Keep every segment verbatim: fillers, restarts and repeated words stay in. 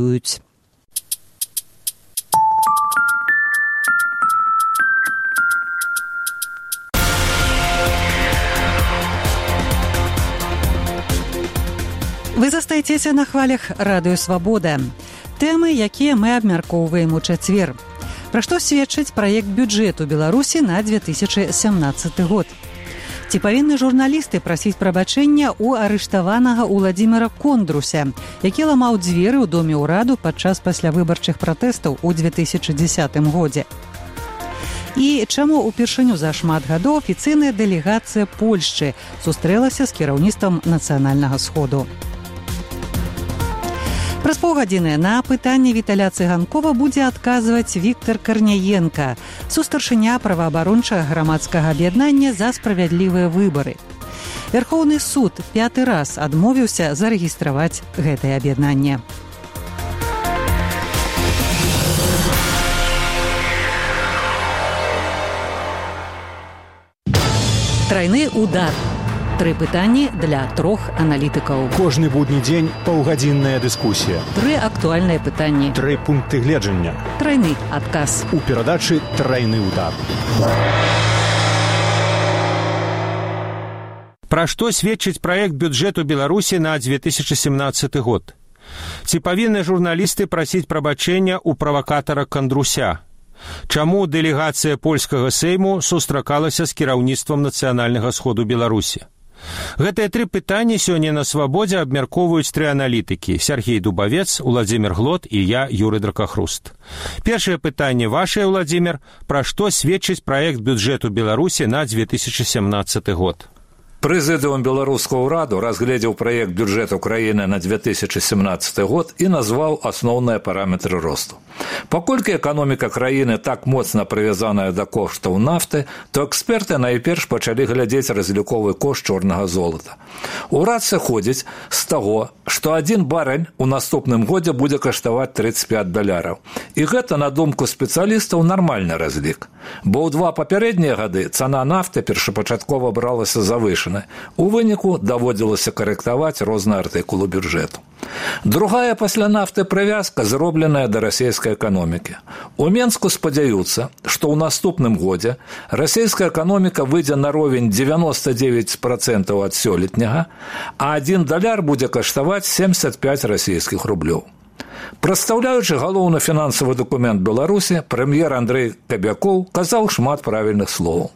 Вы застаецеся на хвалях радыё «Свабода». Тэмы, якія мы абмяркоўваем у чацвер. Пра што сведчыць праект бюджэту Беларусі на две тысячы сямнаццаты год. Ці павінны журналісты прасіць прабачэння ў арыштаванага Уладзіміра Кондруся, які ламаў дзверы ў доме ўраду падчас паслявыбарчых пратэстаў у две тысячы дзесятым годзе. І чаму ўпершыню за шмат гадоў афіцыйная дэлегацыя Польшчы сустрэлася з кіраўніцтвам Нацыянальнага сходу. Праз паўгадзіны на пытанне Віталя Цыганкова будзе адказваць Віктар Карняенка, сустаршыня праваабарончага грамадскага аб'яднання за справядлівыя выбары. Вярхоўны суд пяты раз адмовіўся зарэгістраваць гэтае аб'яднанне. Трайны удар. Тры пытанні для трох аналітыкаў. Кожны будні дзень паўгадзінная дыскусія. Тры актуальныя пытанні. Тры пункты гледжання. Трайны адказ. У перадачы «Трайны удар». Пра што сведчыць праект бюджэту Беларусі на две тысячы семнаццаты год? Ці павінны журналісты прасіць прабачэння ў правакатара Кандруся? Чаму дэлегацыя польскага сейму сустракалася з кіраўніцтвам Нацыянальнага сходу Беларусі? Гэтыя тры пытанні сёння на «Свабодзе» абмяркоўваюць тры аналітыкі: Сергей Дубавец, Уладзімір Глот і я, Юрый Дракахруст. Першае пытанне вашае, Уладзімір, пра што сведчыць праект бюджэту Беларусі на две тысячы семнаццаты год? Прэзідыум беларускага ўраду разгледзеў праект бюджэту краіны на две тысячы семнаццаты год і назваў асноўныя параметры росту. Паколькі эканоміка краіны так моцна прывязаная да коштаў нафты, то эксперты найперш пачалі глядзець разліковы кошт чорнага золата. Урад сыходзіць з таго, што адзін барэль у наступным годзе будзе каштаваць трыццаць пяць даляраў. І гэта, на думку спецыялістаў, нармальны разлік. Бо ў два папярэднія гады цана нафты першапачаткова бралася завышана. У выніку даводзілася карэктаваць розныя артыкулы бюджэту. Другая пасля нафты прывязка зробленая да расійскай эканомікі. У Менску спадзяюцца, што ў наступным годзе расійская эканоміка выйдзе на ровень дзевяноста дзевяць працэнтаў ад сёлетняга, а адзін даляр будзе каштаваць семьдесят пять расійскіх рублёў. Прадстаўляючы галоўны фінансавы дакумент Беларусі, прэм'ер Андрэй Кабякоў казаў шмат правільных словаў.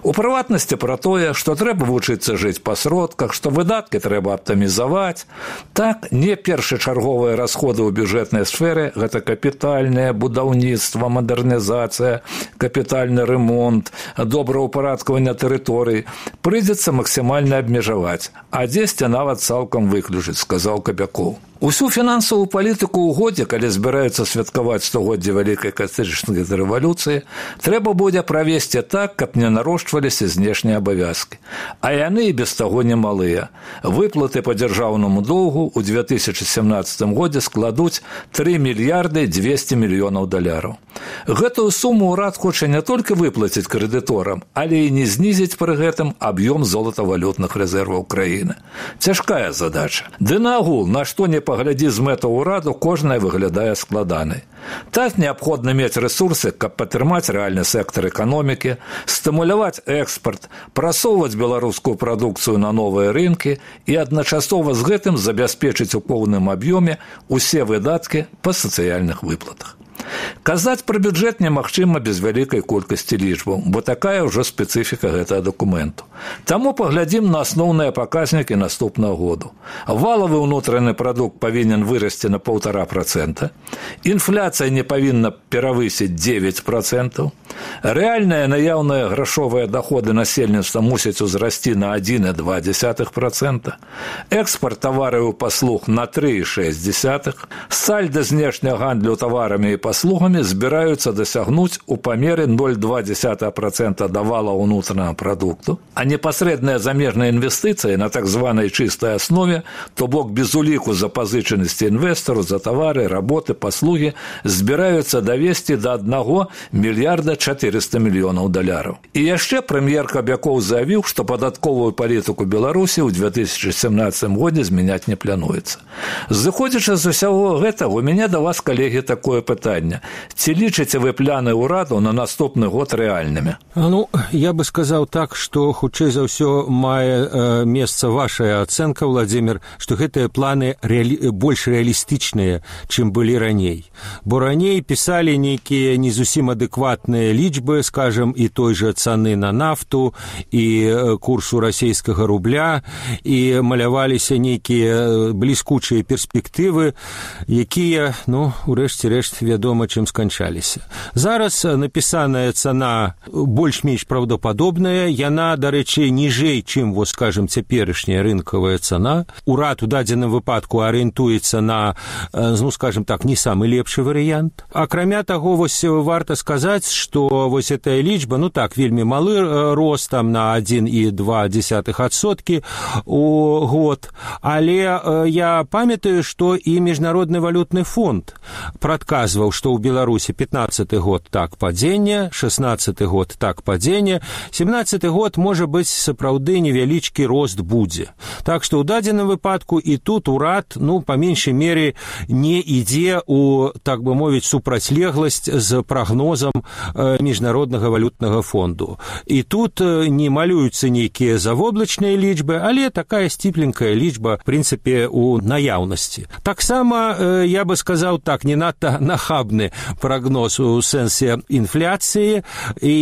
У прыватнасці пра тое, што трэба вучыцца жыць па сродках, што выдаткі трэба аптымізаваць. Так, не першачарговыя расходы ў бюджэтнай сферы – гэта капітальнае будаўніцтва, мадэрнізацыя, капітальны ремонт, добраўпарадкаванне тэрыторый – прыйдзецца максімальна абмежаваць, а дзесьці нават цалкам выключыць, сказаў Кабякоў. Усю фінансавую палітыку ў годзе, калі збіраюцца святкаваць стагоддзе вялікай каталічнай рэвалюцыі, трэба будзе правесці так, каб не нарошчваліся знешнія абавязкі. А яны і без таго немалыя. Выплаты па дзяржаўнаму доўгу ў две тысячы семнаццатым годзе складуць тры мільярды дзвесце мільёнаў даляраў. Гэтую суму ўрад хоча не толькі выплаціць крэдыторам, але і не знізіць пры гэтым аб'ём золатавалютных рэзерваў краіны. Цяжкая задача. Ды нагул, на што не паглядзі з мэтаў ураду, кожная выглядае складанай. Так неабходна мець рэсурсы, каб падтрымаць рэальны сектар эканомікі, стымуляваць экспарт, прасоўваць беларускую прадукцыю на новыя рынкі і адначасова з гэтым забяспечыць у поўным аб'ёме усе выдаткі па сацыяльных выплатах. Казаць пра бюджэт немагчыма без вялікай колькасці лічбаў, бо такая ўжо спецыфіка гэтага дакументу. Таму паглядзім на асноўныя паказнікі наступнага году. Валавы ўнутраны прадукт павінен вырасці на паўтара працэнта, інфляцыя не павінна перавысіць дзевяць працэнтаў, рэальныя наяўныя грашовыя даходы насельніцтва мусяць узрасці на адзін і два дзесятых працэнта, экспарт тавараў і паслуг на тры і шэсць дзесятых, сальда знешняга гандлю таварамі і паслугамі збіраюцца дасягнуць у памеры ноль і два дзесятых працэнта да валавага ўнутранага прадукту, а непасрэдныя замежныя інвестыцыі на так званай чыстай аснове, то бок без уліку запазычанасці інвестару за тавары, работы, паслугі, збіраюцца давесці да аднаго мільярда четыреста мільёнаў даляраў. І яшчэ прэм'ер Кабякоў заявіў, што падатковую палітыку Беларусі ў две тысячы семнадцатым годзе змяняць не плануецца. Зыходзячы з усяго гэтага, у мяне да вас, калегі, такое пытанне. Ці лічыце вы пляны ўраду на наступны год рэальнымі? Ну, я бы сказаў так, што хутчэй за ўсё мае э, месца вашая ацэнка, Владимир, што гэтыя планы рэалі... больш рэалістычныя, чым былі раней. Бо раней пісалі нейкія не зусім адэкватныя лічбы, скажем, і той жа цаны на нафту, і курсу расійскага рубля, і маляваліся нейкія бліскучыя перспектывы, якія, ну, урэшце рэшт, вядома, чым сканчаліся. Зараз напісаная цана больш-менш праўдападобная, яна, дарэчы, ніжэй, чым, вот, скажем, цяперашняя рынкавая цана. Урад у дадзеным выпадку арыентуецца на, ну, скажем так, не самы лепшы варыянт. Акрамя таго, вось варта сказаць, што вось гэтая лічба, ну так, вельмі малы рост там на адзін і два дзесятых адсоткі у год, але я памятаю, што і Міжнародны валютны фонд прадказваў, што ў Беларусі пятнаццаты год так падзенне, шаснаццаты год так падзенне, семнаццаты год, можа быць, сапраўды невялічкі рост будзе. Так што ў дадзеным выпадку і тут урад, ну, па меншай мере, не ідзе у, так бы мовіць, супрацьлегласць з прагнозам э, Міжнароднага валютнага фонду. І тут э, не малююцца нейкія завоблачныя лічбы, але такая сціпленькая лічба, в прынцыпе, у наяўнасці. Таксама, э, я бы сказаў так, не надта нахабны прагноз у сэнсе інфляцыі, і,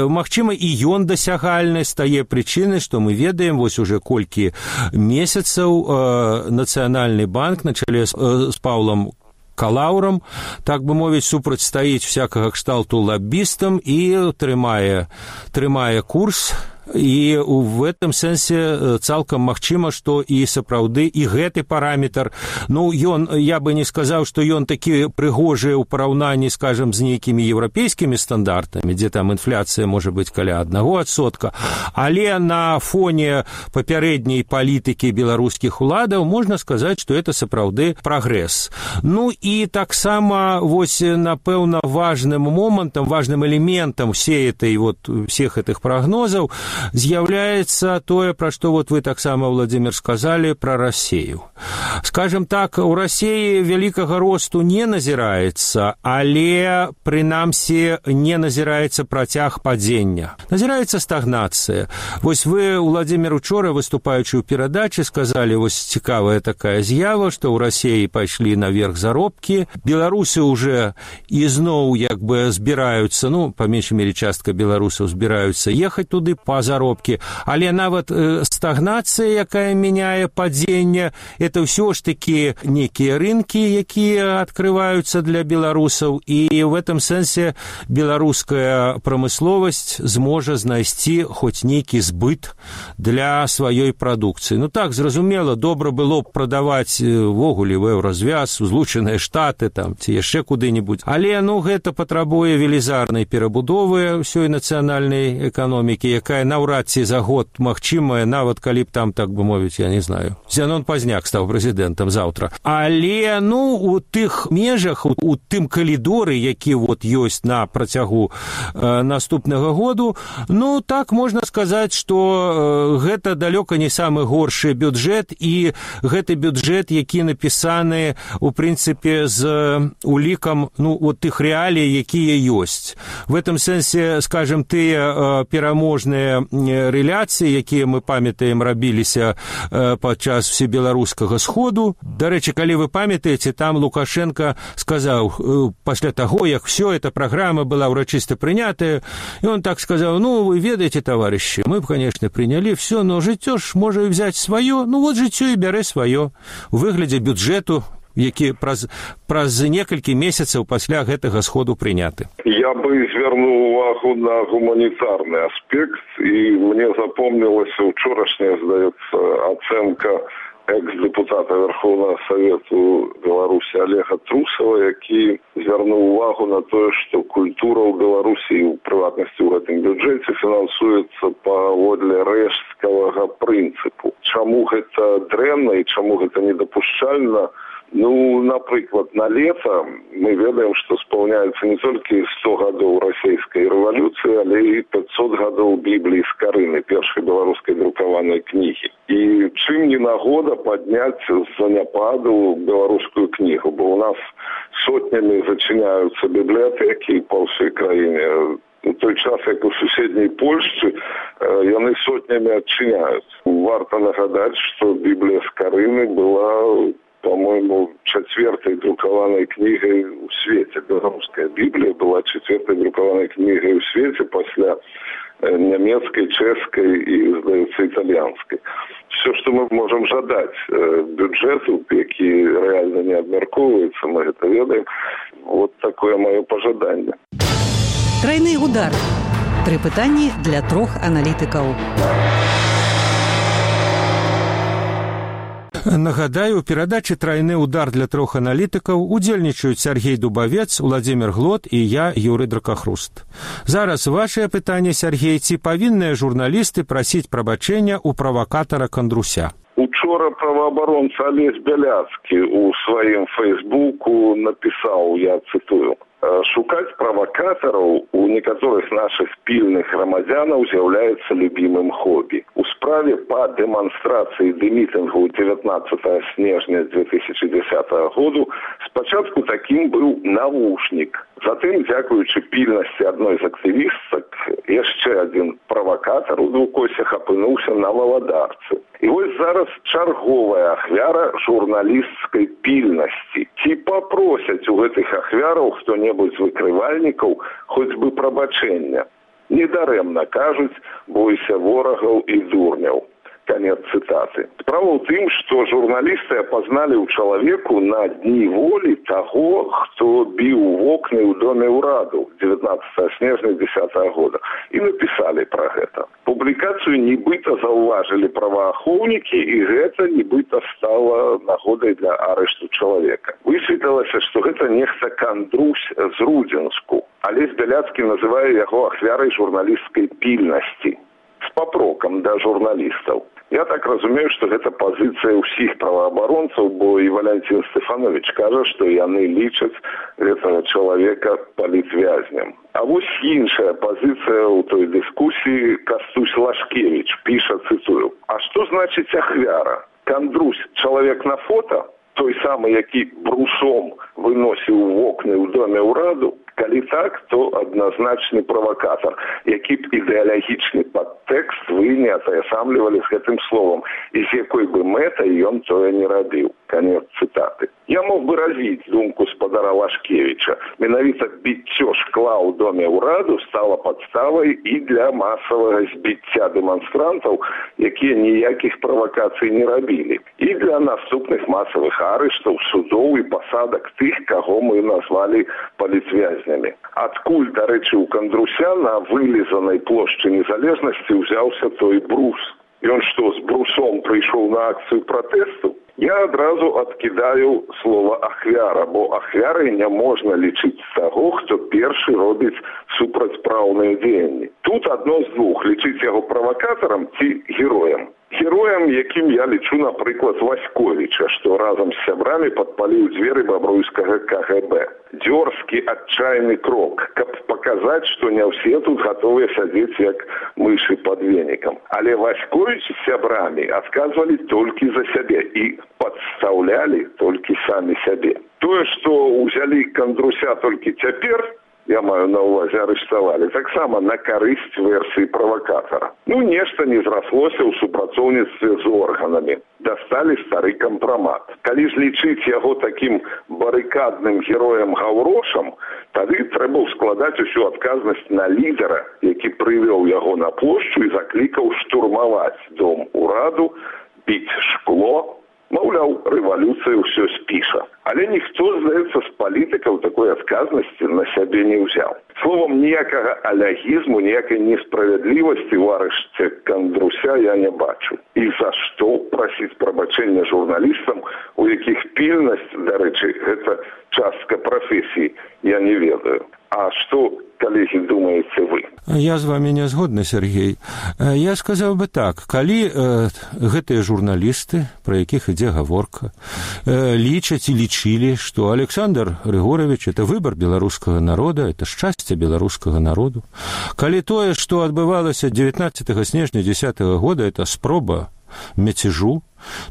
магчыма, і ён дасягальны з тае прычыны, што мы ведаем, вось уже колькі месяцаў э, Нацыянальны банк на чале з, э, з Паўлам Калаўрам, так бы мовіць, супрацьстаіць всякага кшталту лаббістам і трымае, трымае курс. І в этом сэнсе цалкам магчыма, што і сапраўды і гэты параметр, ну, ён, я бы не сказаў, што ён такі прыгожы ў параўнанні, скажем, з нейкімі еўрапейскімі стандартамі, дзе там інфляцыя можа быць каля аднаго адсотка, але на фоне папярэдняй палітыкі беларускіх уладаў можна сказаць, што это сапраўды прагрэс. Ну і таксама, вось, напэўна, важным момантам, важным элементам всей этой, вот, всех этих прогнозаў з'яўляецца тое, пра што вот вы таксама, Владимир, сказалі пра Расею. Скажем так, у Расеі вялікага росту не назіраецца, але, прынамсі, не назіраецца працяг падзення. Назіраецца стагнацыя. Вось вы, Владимир, учора, выступаючы ў перадачы, сказалі, вось цікавая такая з'ява, што ў Расеі пайшлі наверх заробкі. Беларусы уже ізноў, як бы, збіраюцца, ну, па меншай мере частка беларусаў збіраюцца ехаць туды па заробкі, але нават э, стагнацыя, якая мяняе падзенне, это ўсё ж такі некія рынкі, якія адкрываюцца для беларусаў, і в этом сэнсе беларуская прамысловасць зможа знайсці хоць нейкі збыт для сваёй прадукцыі. Ну так, зразумела, добра было б прадаваць ввогуле в Еўразвяз, у Злучаныя Штаты, там, ці яшчэ куды-небудзь. Але, ну, гэта патрабуе велізарнай перабудовы ўсёй нацыянальнай эканомікі, якая наўрад ці за год магчымая, нават калі б там, так бы мовіць, я не знаю, Зянон Пазняк стаў прэзідэнтам заўтра. Але, ну, у тых межах, у, у тым калідоры, які вот ёсць на працягу э, наступнага году, ну, так можна сказаць, што э, гэта далёка не самы горшы бюджэт, і гэты бюджэт, які напісаны, у прынцыпе, з улікам, ну, вот тых рэалій, якія ёсць. В этом сэнсе, скажем, тыя э, пераможныя рэляцыі, якія мы памятаем рабіліся э, падчас всебеларускага сходу. Дарэчы, калі вы памятаеце, там Лукашенко сказаў, э, пасля таго, як все эта праграма была ўрачыста прынятая, і он так сказаў, ну, вы ведаеце, товарищи, мы б, конечно, прыняли все, но жыццё ж можа взять сваё, ну, вот жыццё і бярэ сваё у выглядзе бюджэту, які праз, праз некалькі месяцаў пасля гэтага сходу прыняты. Я бы звярнуў увагу на гуманітарны аспект, і мне запомнілася учорашняя, здаецца, ацэнка экс-депутата Верховного Совету Беларусі Олега Трусова, які звярнуў увагу на тое, што культура ў Беларусі, у прыватнасці ў гэтым бюджэце, фінансуецца паводле рэшткавага прынцыпу. Чаму гэта дрэнна і чаму гэта недапушчальна, Ну, напрыклад, на лето мы ведаем, што спаўняецца не толькі сто гадоў расійскай рэвалюцыі, але і пятьсот гадоў Бібліі з Карыны, першай беларускай друкаванай кнігі. І чым не нагода падняць з заняпаду беларускую кнігу, бо ў нас сотнямі зачыняюцца бібліятэкі па ўсёй краіне. У той час, як у суседняй Польшчы, яны сотнямі адчыняюцца. Варта нагадаць, што Біблія з Карыны была, по-моему, четвертой друкованной книгой в свете. Белорусская Библия была четвертой друкованной книгой в свете после немецкой, чешской и, сдается, итальянской. Все, что мы можем жадать бюджету, який реально не обмерковывается, мы это ведаем. Вот такое мое пожадание. Тройный удар. Три пытанні для трох аналітикаў. Нагадаю, у перадачы «Тройны удар» для трох аналітыкаў удзельнічаюць Сергей Дубавец, Владимир Глот і я, Юрий Дракахруст. Зараз вашае пытанне, Сергей, ці павінныя журналісты прасіць прабачэння ў правакатара Кандруся? Учора праваабаронца Олесь Бяляцкі у сваім фейсбуку напісаў, я цытую: «Шукаць правакатараў у некаторых нашых пільных грамадзянаў з'яўляецца любімым хобі. У справе па дэманстрацыі ды мітынгу дзевятнаццатага снежня две тысячи десятого году спачатку такім быў навушнік. Затым, дзякуючы пільнасці адной з актывістак, яшчэ адзін правакатар у двукосях апынуўся на валадарцы. І вось зараз чарговая ахвяра журналісцкай пільнасці. Ці папросяць у гэтых ахвяраў хто-небудзь з выкрывальнікаў хоць бы прабачэння. Недарэмна кажуць: бойся ворагаў і дурняў». Конец цитаты. Справа ў тым, што журналісты апазналі ў чалавеку на дні волі таго, хто біў вокны ў доме ўраду дзевятнаццатага снежня дзесятага года, і напісалі пра гэта. Публікацыю нібыта заўважылі праваахоўнікі, і гэта нібыта стала нагодай для арышту чалавека. Высветлілася, што гэта нехта Кандрусь з Рудзенску. Олесь Бяляцкі называе яго ахвярай журналісцкай пільнасці з папрокам да журналістаў. Я так разумею, што гэта пазіцыя ўсіх праваабаронцаў, бо і Валянцін Стэфанович кажа, што яны лічаць гэтага чалавека палітвязнем. А вось іншая пазіцыя ў той дыскусіі. Кастусь Лашкевич піша, цытую: «А што значыць ахвяра? Кандрусь чалавек на фото? Той самы, які брусом выносіў вокны ў доме ўраду? Калі так, то адназначны правакатар, які б ідэалагічны падтэкст вы не атаясамлівалі з гэтым словам, і з якой бы мэтай ён тое не рабіў». Конец цитаты. Я мог бы развіць думку спадара Лашкевича. Менавіта біццё шкла ў доме ўраду стала падставай і для масавага збіцця дэманстрантаў, якія ніякіх правакацый не рабілі, і для наступных масавых арыштаў, судоў і пасадак тых, каго мы назвалі палітвязнямі. Адкуль, дарэчы, у Кандруся на вылізанай плошчы незалежнасці ўзяўся той брус? Ён што, з брусом прыйшоў на акцыю пратэсту? Я адразу адкідаю слова ахвяра, бо ахвярай не можна лічыць таго, хто першы робіць супрацьпраўныя дзеянні. Тут адно з двух: лічыць яго правакатарам ці героем. Героем, якім я лічу, напрыклад, Васьковіча, што разам з сябрамі падпаліў дзверы бабруйскага ка гэ бэ. Дзёрзкі, адчайны крок, каб паказаць, што не ўсе тут гатовыя сядзець як мышы пад венікам. Але Васьковіч з сябрамі адказвалі толькі за сябе і падстаўлялі толькі самі сябе. Тое, што ўзялі Кандруся толькі цяпер, я маю на ўвазе, арыштавалі, таксама на карысць версіі правакатара. Ну, нешта не зраслося ў супрацоўніцтве з органамі. Дасталі стары кампрамат. Калі ж лічыць яго такім барыкадным героем-гаўрошам, тады трэба ўскладаць усю адказнасць на лідара, які прывёў яго на плошчу і заклікаў штурмаваць дом ураду, біць шкло. Маўляў, рэвалюцыя ўсё спіша. Але ніхто, здаецца, з палітыкаў такой адказнасці на сябе не ўзяў. Словом, ніякага алягізму, ніякай несправядлівасці ў арышце Кандруся я не бачу. І за што прасіць прабачэння журналістам, у якіх пільнасць, дарэчы, гэта частка прафесіі, я не ведаю. А што, калегі, думаеце вы? Я з вами не згодны, Сергей. Я сказаў бы так, калі э, гэтыя журналісты, пра якіх ідзе гаворка, э, лічаць і лічылі, што Александр Григорович – это выбор беларускага народа, это шчасце беларускага народу, калі тое, што адбывалася дзевятнаццатага снежня дзесятага года, это спроба мяцежу,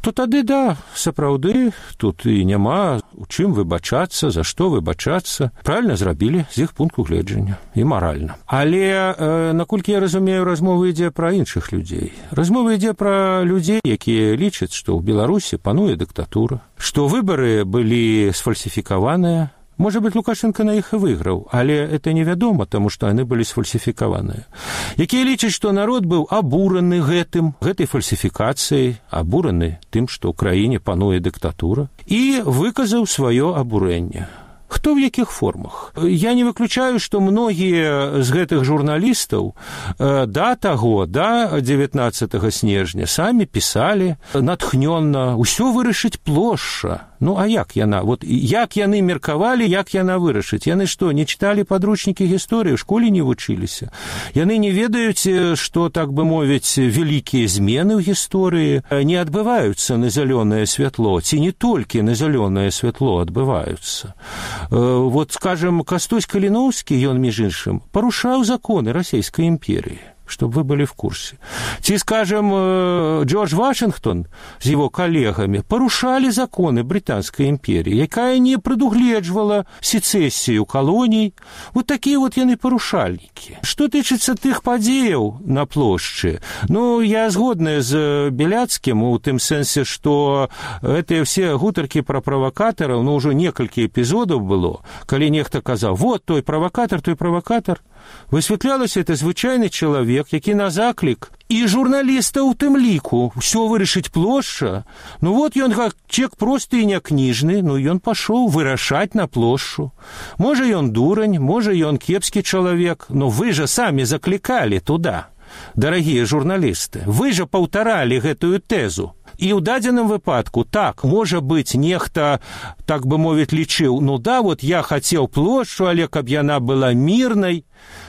то тады, да, сапраўды, тут і няма у чым выбачацца, за што выбачацца. Правільна зрабілі з іх пункту гледжання і маральна. Але, э, наколькі я разумею, размова ідзе пра іншых людзей. Размова ідзе пра людзей, якія лічаць, што ў Беларусі пануе дыктатура, што выбары былі сфальсіфікаваныя. Может быть, Лукашенко на іх і выйграў, але это невядома, таму што яны былі сфальсіфікаваныя. Якія лічаць, што народ быў абураны гэтым, гэтай фальсіфікацыяй, абураны тым, што ў краіне пануе дыктатура, і выказаў сваё абурэнне. Хто в якіх формах? Я не выключаю, што многія з гэтых журналістаў да таго, да дзевятнаццатага снежня самі пісалі натхнённа, усё вырашыць плошча. Ну, а як яна? Вот як яны меркавалі, як яна вырашыць? Яны што, не чыталі падручнікі гісторыі, у школе не вучыліся? Яны не ведаюць, што, так бы мовіць, вялікія змены ў гісторыі не адбываюцца на зялёнае святло, ці не толькі на зялёнае святло адбываюцца. Вот, скажем, Кастусь Каліноўскі, ён, між іншым, парушаў законы Расійскай імперіі, чтобы вы были в курсе. Ти, скажем, Джордж Вашингтон с его коллегами порушали законы Британской империи, якая не предугледжвала сецессию колоний. Вот такие вот яны порушальники. Что тычыцца тых падзеяў на плошчы? Ну, я згодная з Беляцкім у тым сэнсе, што гэтыя все гутаркі пра правакатараў, ну, ўжо некалькі эпізодаў было, калі нехта казаў, вот той правакатар, той правакатар. Высвятлялася, это звычайны чалавек, які на заклік і журналіста ў тым ліку ўсё вырашыць плошча. Ну вот ён как чек просты і някніжны, ну ён пашоў вырашаць на плошчу. Можа ён дурань, можа ён кепскі чалавек, но вы жа самі заклікалі туда, дарагія журналісты. Вы жа паўтаралі гэтую тэзу. І ў дадзеным выпадку, так, можа быць, нехта, так бы мовіць, лічыў, ну да, вот я хацеў плошчу, але каб яна была мірнай.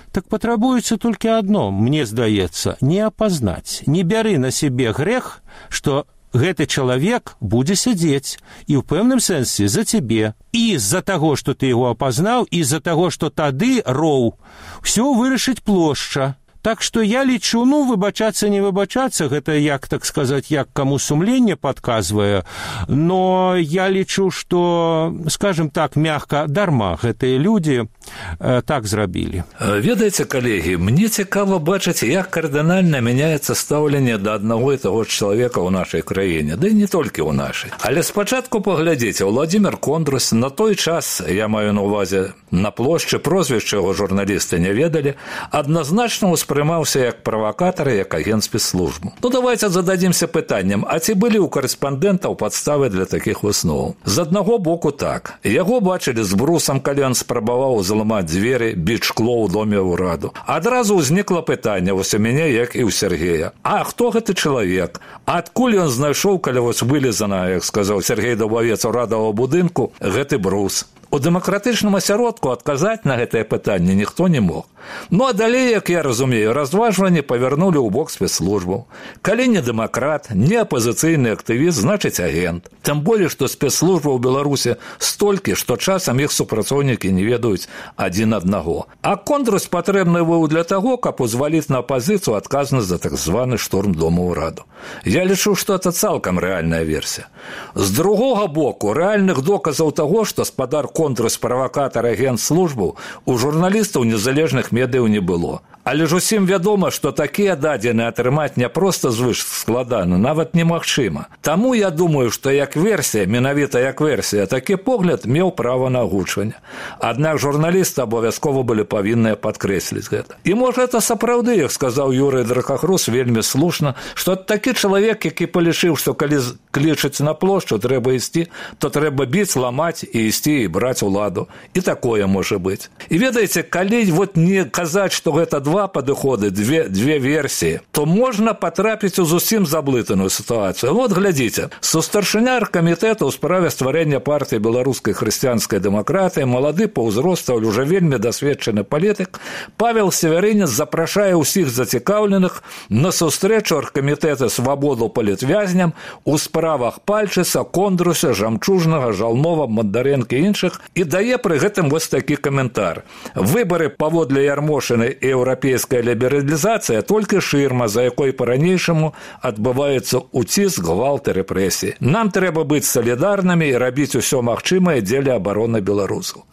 Так патрабуецца толькі адно, мне здаецца, не апазнаць, не бяры на сябе грэх, што гэты чалавек будзе сядзець і ў пэўным сэнсе за цябе. І з-за таго, што ты яго апазнаў, і з-за таго, што тады роў, усё вырашыць плошча. Так што я лічу, ну, выбачацца, не выбачацца, гэта як, так сказаць, як каму сумленне падказвае, но я лічу, што, скажем так, мягка, дарма гэтыя людзі э, так зрабілі. Ведаеце, калегі, мне цікава бачыць, як кардынальна мяняецца стаўленне да аднаго і таго ж чалавека ў нашай краіне, да і не толькі ў нашай. Але спачатку паглядзіце, Владзімір Кондрус на той час, я маю на ўвазе, на плошчы, прозвішча яго журналісты не ведалі, адназначна успрымаўся як правакатар, як агент спецслужбы. Ну, давайте зададзімся пытаннем, а ці былі ў карэспандэнтаў падставы для такіх высноваў? З аднаго боку так. Яго бачылі з брусам, калі ён спрабаваў зламаць дзверы, біць шкло ў доме ўраду. Адразу ўзнікла пытанне вось у мяне, як і ў Сергея. А хто гэты чалавек? Адкуль ён знайшоў, калі вось вылезана, як сказаў Сергей Дубавец, урадавага будынку, гэты брус? У дэмакратычным асяродку адказаць на гэтае пытанне ніхто не мог. Ну, а далей, як я разумею, разважванні павярнулі ў бок спецслужбаў. Калі не дэмакрат, не апазіцыйны актывіст, значыць агент. Тым болей, што спецслужба ў Беларусі столькі, што часам іх супрацоўнікі не ведаюць адзін аднаго. А Кондрус патрэбны быў для таго, каб узваліць на апазіцыю адказнасць за так званы штурм дома ўраду. Я лічу, што это цалкам рэальная версія. З другога боку, рэальных доказаў таго, што спадар контрус правакатар агент службу у журналістаў незалежных медыяў не было. Але ж усім вядома, што такія дадзеныя атрымаць не проста звыш складана, нават немагчыма. Таму я думаю, што як версія, менавіта як версія, такі погляд меў права на агучванне. Аднак журналісты абавязкова былі павінныя падкрэсліць гэта. І можа это сапраўды, як сказаў Юрый Дракахрус, вельмі слушна, што такі чалавек, які палічыў, што калі клічаць на плошчу, трэба ісці, то трэба біць, ламаць і ісці і браць уладу. І такое можа быць. І ведаеце, калі вот не казаць, што гэта два падыходы, две, две версіі, то можна патрапіць у зусім заблытаную сітуацыю. Вот глядзіце, сустаршыня аргкамітэта ў справе стварэння партыі беларускай хрысціянскай дэмакратыі, малады па ўзросту, але ўжо вельмі дасведчаны палітык, Павел Севярынец запрашае ўсіх зацікаўленых на сустрэчу аргкамітэта свабоду палітвязням у справах Пальчыца, Кондруся, Жамчужнага, Жалнова, Мандарэнка і іншых і дае пры гэтым вось такі каментар. Выбары паводле Ярмошыны і еўрапейская лібералізацыя толькі шырма, за якой па-ранейшаму адбываецца уціск, гвалт і рэпрэсіі. Нам трэба быць салідарнымі і рабіць усё магчымае дзеля абароны беларусаў.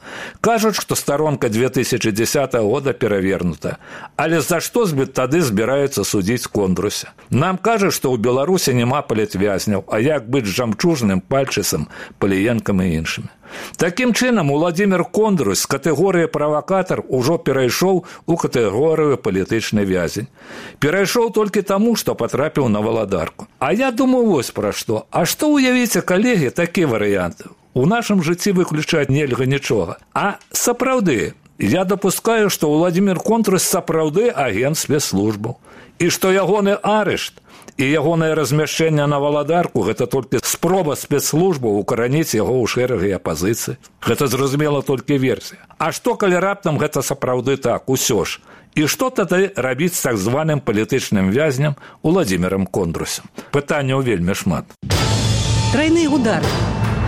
Кажуць, што старонка две тысячи десятого года перавернута. Але за што тады збіраюцца судзіць Кондруся? Нам кажуць, што ў Беларусі няма палітвязняў, а як быць Жамчужным, Пальчыцам, Паліенкам і іншымі. Такім чынам, Уладзімір Кондрус з катэгорыі правакатар ужо перайшоў у катэгорыю палітычны вязень. Перайшоў толькі таму, што патрапіў на валадарку. А я думаю вось пра што. А што уявіце, калегі, такі варыянт? У нашым жыцці выключаць нельга нічога. А сапраўды, я дапускаю, што Уладзімір Кондрус сапраўды агент спецслужбаў. І што ягоны арышт і ягонае размяшчэнне на валадарку – гэта толькі спроба спецслужбаў укараніць яго ў шэрагі апазіцыі. Гэта зразумела толькі версія. А што, калі раптам гэта сапраўды так, усё ж? І што тады рабіць з так званым палітычным вязням Уладзімірам Кондрусам? Пытанняў вельмі шмат. Трайны удар.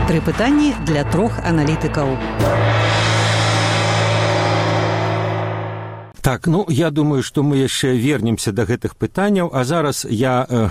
Тры пытанні для трох аналітыкаў. Так, ну, я думаю, што мы яшчэ вернемся да гэтых пытанняў, а зараз я э,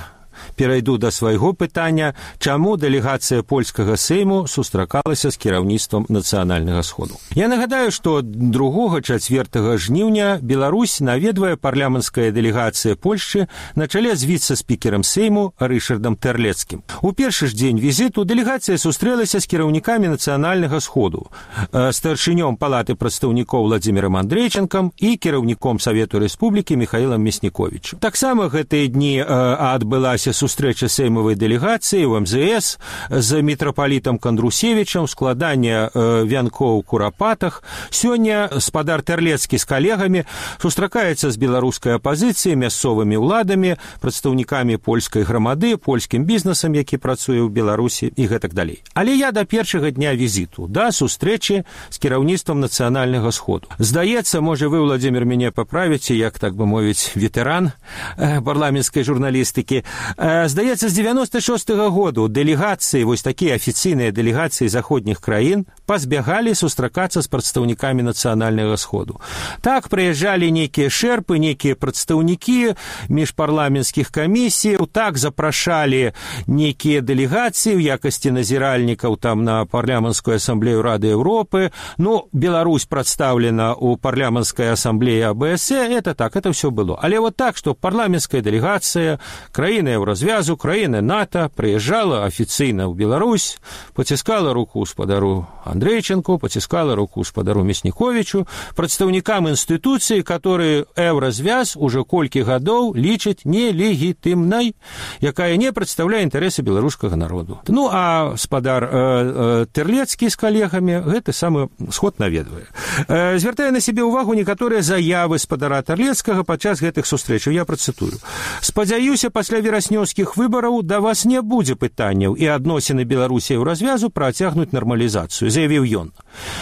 перайду да свайго пытання, чаму дэлегацыя польскага сейму сустракалася з кіраўніцтвам нацыянальнага сходу. Я нагадаю, што другога-чацвёртага жніўня Беларусь наведвае парламенцкая дэлегацыя Польшчы на чале з віцэ-спікерам сейму Рышардам Тэрлецкім. У першы ж дзень візіту дэлегацыя сустрэлася з кіраўнікамі нацыянальнага сходу, старшынём палаты прадстаўнікоў Владзімірам Андрейчанкам і кіраўніком Савету Рэспублікі Михаілам Мясніковічам. Таксама гэтыя дні адбылася сустрэча сеймавай дэлегацыі ў эм зэ эс з мітрапалітам Кандрусевічам, складанне вянкоў у курапатах. Сёння спадар Тэрлецкі з калегамі сустракаецца з беларускай апазіцыяй, мясцовымі ўладамі, прадстаўнікамі польскай грамады, польскім бізнесам, які працуе ў Беларусі і гэтак далей. Але я да першага дня візіту, да сустрэчы з кіраўніцтвам нацыянальнага сходу. Здаецца, можа вы, Владзімір, мяне паправіце, як, так бы мовіць, ветэран парламенцкай журналістыкі. Здаецца, з дзевяноста шостага году дэлегацыі, вось такія афіцыйныя дэлегацыі заходніх краін пазбягалі сустракацца з прадстаўнікамі нацыянальнага сходу. Так, прыязджалі нейкія шэрпы, нейкія прадстаўнікі міжпарламенцкіх камісіяў, так запрашалі нейкія дэлегацыі ў якасці назіральнікаў там на парламенцкую асамблею Рады Еўропы. Ну, Беларусь прадстаўлена ў парламенцкай асамблеі а бэ эс э, это так, это ўсё было. Але вот так, што парламенцкая дэлегацыя, краіны развязу краіны НАТО прыязджала афіцыйна ў Беларусь, паціскала руку спадару Андрейчанку, паціскала руку спадару Мясніковічу, прадстаўнікам інстытуцыі, которые еўразвяз уже колькі гадоў лічаць нелегітымнай, якая не прадстаўляе інтарэсы беларускага народу. Ну, а спадар э, э, Тэрлецкі з калегамі гэты самы сход наведвае. Э, звяртае на сябе ўвагу некаторыя заявы спадара Тэрлецкага падчас гэтых сустрэчаў. Я працытую. Спадзяюся, пасля вераснёўскіх выбараў да вас не будзе пытанняў і адносіны Беларусі ў развязу працягнуць нармалізацыю, заявіў ён.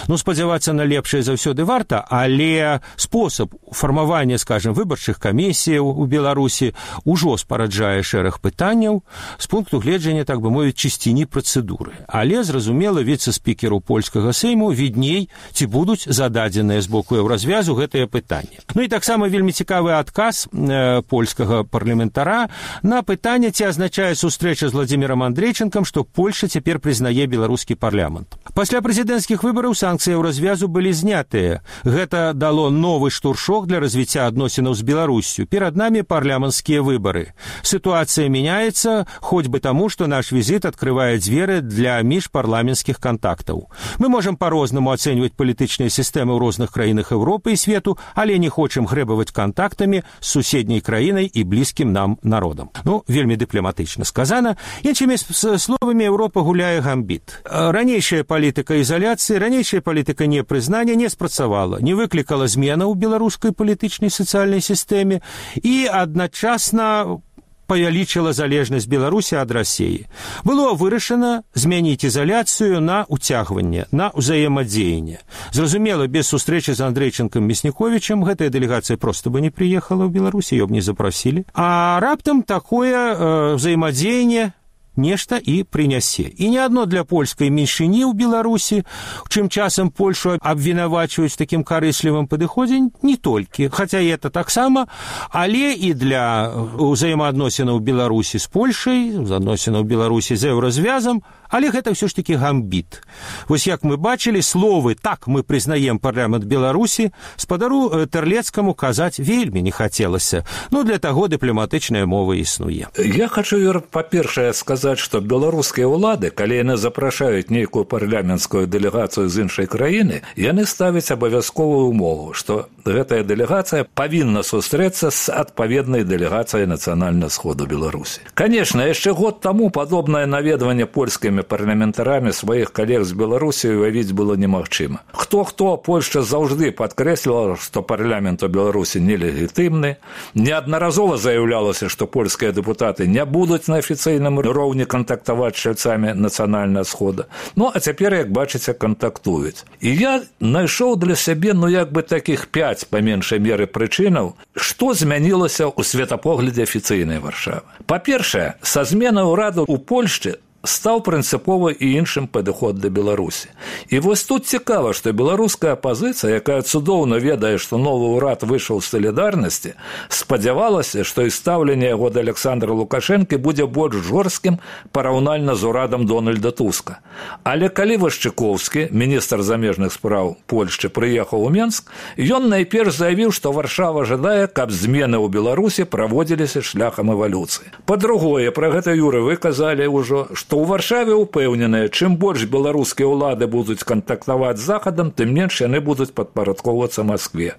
Ну, спадзявацца на лепшае заўсёды варта, але спосаб фармавання, скажем, выбарчых камісіяў у Беларусі ўжо спараджае шэраг пытанняў з пункту гледжання, так бы мовіць, чысціні працэдуры. Але, зразумела, віцэ-спікеру польскага сейму відней, ці будуць за зададзеныя з боку еўразвязу гэтае пытанне. Ну і таксама вельмі цікавы адказ э, польскага парламентара на пытанне, ці азначае сустрэча з Владзімірам Андрейченкам, што Польша цяпер прызнае беларускі парламент. Пасля прэзідэнцкіх выбараў санкцыі еўразвязу былі знятыя. Гэта дало новы штуршок для развіцця адносінаў з Беларуссю. Перад намі парламенцкія выбары. Сітуацыя мяняецца, хоць бы таму, што наш візіт адкрывае дзверы для міжпарламенцкіх кантактаў. Мы можам па-рознаму ацэньваць палітычныя сістэмы ў розных краінах Еўропы і свету, але не хочам грэбаваць кантактамі з суседняй краінай і блізкім нам народам. Ну, вельмі дыпламатычна сказана. Іншымі словамі, Еўропа гуляе гамбіт. Ранейшая палітыка ізаляцыі, ранейшая палітыка непрызнання не спрацавала, не выклікала зменаў у беларускай палітычнай сацыяльнай сістэме і адначасна павялічыла залежнасць Беларусі ад Расіі. Было вырашана змяніць ізаляцыю на уцягванне, на ўзаемадзеянне. Зразумела, без сустрэчы з Андрейченкам Мясніковічам гэтая дэлегацыя проста бы не прыехала ў Беларусі, её б не запрасілі. А раптам такое э, ўзаемадзеянне нешта і прынясе. І не адно для польскай меншыні ў Беларусі, чым часам Польшу абвінавачваюць такім карыслівым падыходзе, не толькі, хаця і это таксама, але і для ўзаемаадносінаў Беларусі з Польшай, адносінаў Беларусі з еўразвязам, але гэта ўсё ж такі гамбіт. Вось як мы бачылі, словы «так мы прызнаем парламент Беларусі» спадару Тэрлецкаму казаць вельмі не хацелася. Ну, для таго дыпламатычная мова існуе. Я хочу, Юр, па-першае сказаць, што беларускія ўлады, калі яны запрашаюць нейкую парламенцкую дэлегацыю з іншай краіны, яны ставяць абавязковую умову, што гэтая дэлегацыя павінна сустрэцца з адпаведнай дэлегацыяй Нацыянальнага сходу Беларусі. Канешне, яшчэ год таму падобнае наведванне польскімі парламентарамі сваіх калег з Беларусі уявіць было немагчыма. Хто-хто, Польшча заўжды падкрэслівала, што парламент у Беларусі нелегітымны. Неаднаразова заяўлялася, што польскія дэпутаты не будуць на афіцыйным роўні кантактаваць з чальцамі Нацыянальнага схода. Ну, а цяпер, як бачыце, кантактуюць. І я знайшоў для сябе, ну, як бы такіх пяць, па меншай меры, прычынаў, што змянілася ў светапоглядзе афіцыйнай Варшавы. Па-першае, са зменай ураду ў Польшчы стаў прынцыпова і іншым падыход да Беларусі. І вось тут цікава, што беларуская апазіцыя, якая цудоўна ведае, што новы ўрад выйшаў з салідарнасці, спадзявалася, што і стаўленне яго да Александра Лукашэнкі будзе больш жорсткім параўнальна з урадам Дональда Туска. Але калі Вашчыкоўскі, міністр замежных спраў Польшчы, прыехаў у Менск, ён найперш заявіў, што Варшава жадае, каб змены ў Беларусі праводзіліся шляхам эвалюцыі. Па-другое, пра гэта, Юры, вы казалі ўжо, што у Варшаве ўпэўненыя, чым больш беларускія ўлады будуць кантактаваць з Захадам, тым менш яны будуць падпарадкоўвацца Маскве.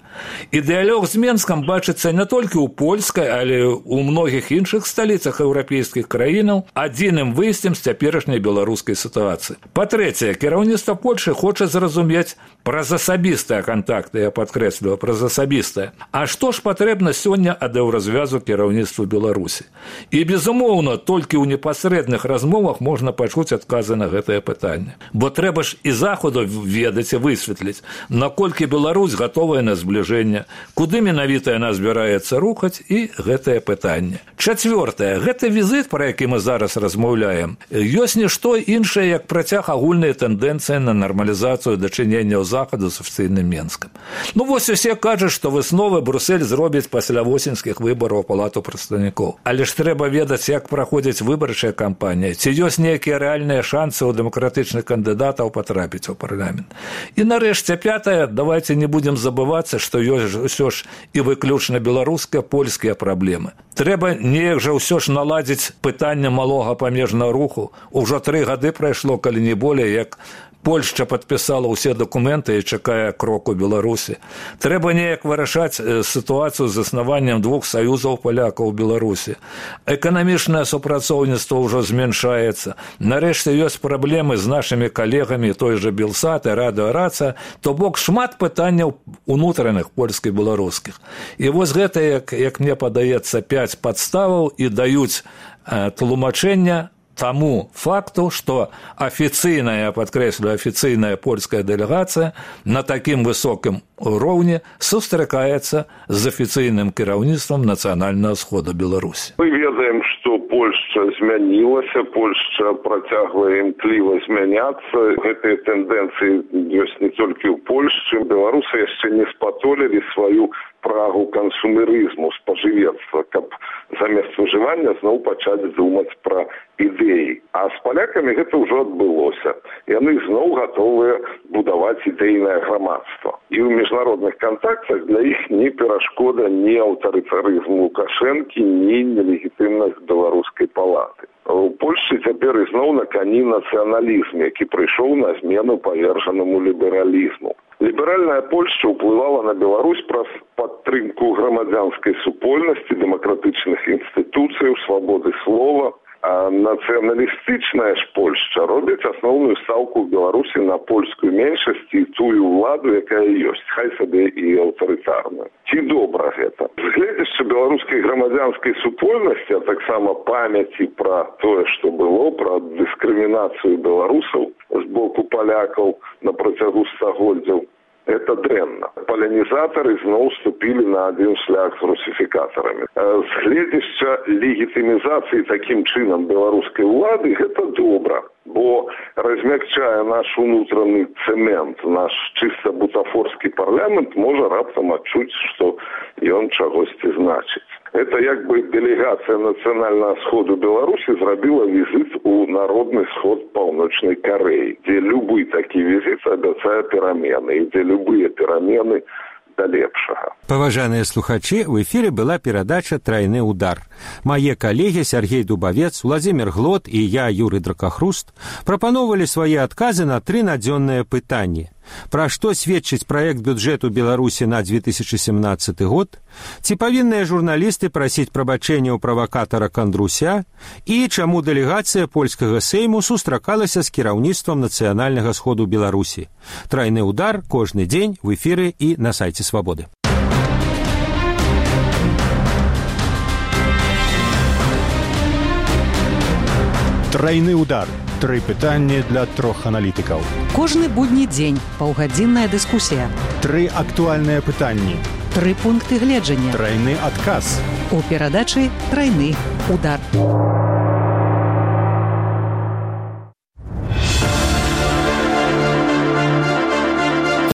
І дыялог з Менскам бачыцца не толькі ў польскай, але ў многіх іншых сталіцах еўрапейскіх краінаў адзіным выйсцем з цяперашняй беларускай сітуацыі. Па-трэцяе, кіраўніцтва Польшы хоча зразумець праз асабістыя кантакты, я падкрэсліваю, праз асабістыя. А што ж патрэбна сёння ад еўразвязу кіраўніцтву Беларусі? І, безумоўна, толькі ў непасрэдных размовах можна пачуць адказы на гэтае пытанне. Бо трэба ж і Захаду ведаць і высветліць, наколькі Беларусь гатовая на збліжэнне, куды менавіта яна збіраецца рухаць, і гэтае пытанне. Чацвёртае. Гэты візіт, пра які мы зараз размаўляем, ёсць нішто іншае, як працяг агульнай тэндэнцыі на нармалізацыю дачыненняў Захаду з афіцыйным Менскам. Ну вось усе кажуць, што высновы Брюссель зробіць пасля восеньскіх выбараў у Палату прадстаўнікоў. Але ж трэба ведаць, як праходзіць выбарчая кампанія, ці ёсць нейкія рэальныя шансы ў дэмакратычных кандыдатаў патрапіць у парламент. І нарэшце пятае, давайте не будзем забывацца, што ёсць ўсё ж і выключна беларускія, польскія праблемы. Трэба неяк жа ўсё ж наладзіць пытанне малога памежнага руху. Ужо тры гады прайшло, калі не болей, як Польшча падпісала ўсе дакументы і чакае кроку Беларусі. Трэба неяк вырашаць сітуацыю з заснаваннем двух саюзаў палякаў у Беларусі. Эканамічнае супрацоўніцтва ўжо змяншаецца. Нарэшце ёсць праблемы з нашымі калегамі, той жа Белсат і Радыёрацыя, то бок шмат пытанняў унутраных польскіх і беларускіх. І вось гэта, як, як мне падаецца, пяць падставаў і даюць э, тлумачэння тому факту, што афіцыйная, я падкрэслю, афіцыйная польская дэлегацыя на такім высокім роўні сустракаецца з афіцыйным кіраўніцтвам Нацыянальнага сходу Беларусі. Мы ведаем, што Польшча змянілася, Польшча працягвае імкліва змяняцца. Гэтыя тэндэнцыі ёсць не толькі ў Польшчы. Беларусы яшчэ не спатолілі сваю прагу кансумерызму, спажывецтва, каб замест выжывання зноў пачаць думаць пра ідэі. А з палякамі гэта ўжо адбылося. Яны зноў гатовыя будаваць ідэйнае грамадства. І ў міжнародных кантактах для іх не перашкода ні аўтарытарызму Лукашэнкі, ні нелегітымнасць беларускай палаты. У Польшчы цяпер ізноў на кані нацыяналізм, які прыйшоў на змену павержанаму лібералізму. Ліберальная Польшча ўплывала на Беларусь праз падтрымку грамадзянскай супольнасці, дэмакратычных інстытуцыяў, свабоды слова. А нацыяналістычная ж Польшча робіць асноўную стаўку ў Беларусі на польскую меншасць і тую ўладу, якая ёсць, хай сабе і аўтарытарная. Ці добра гэта? З гледзячы беларускай грамадзянскай супольнасці, а таксама памяці пра тое, што было, пра дыскрымінацыю беларусаў з боку палякаў на працягу стагоддзяў, это дрэнна. Палянізатары зноў ступілі на адзін шлях з русіфікатарамі. З гледзяча легітымізацыі такім чынам беларускай улады гэта добра, бо размякчае наш унутраны цэмент, наш чыста бутафорскі парламент можа раптам адчуць, што ён чагосьці значыць. Это як бы дэлегацыя нацыянальнага сходу Беларусі зрабіла візіт у народны сход Паўночнай Карэі, дзе любы такі візіт абяцае перамены, і дзе любыя перамены да лепшага. Паважаныя слухачы, в эфире была перадача «Трайны удар». Мае калегі Сергей Дубавец, Владзімір Глот і я, Юрый Дракахруст, прапаноўвалі свае адказы на тры надзённыя пытанні. Пра што сведчыць праект бюджэту Беларусі на две тысячи семнадцаты год, ці павінныя журналісты прасіць прабачэння ў правакатара Кандруся і чаму дэлегацыя польскага сейму сустракалася з кіраўніцтвам нацыянальнага сходу Беларусі. Трайны удар кожны дзень в эфіры і на сайце Свабоды. Трайны удар. Тры пытанні для трох аналітыкаў. Кожны будні дзень паўгадзінная дыскусія. Тры актуальныя пытанні. Тры пункты гледжання. Трайны адказ. У перадачы «Трайны удар».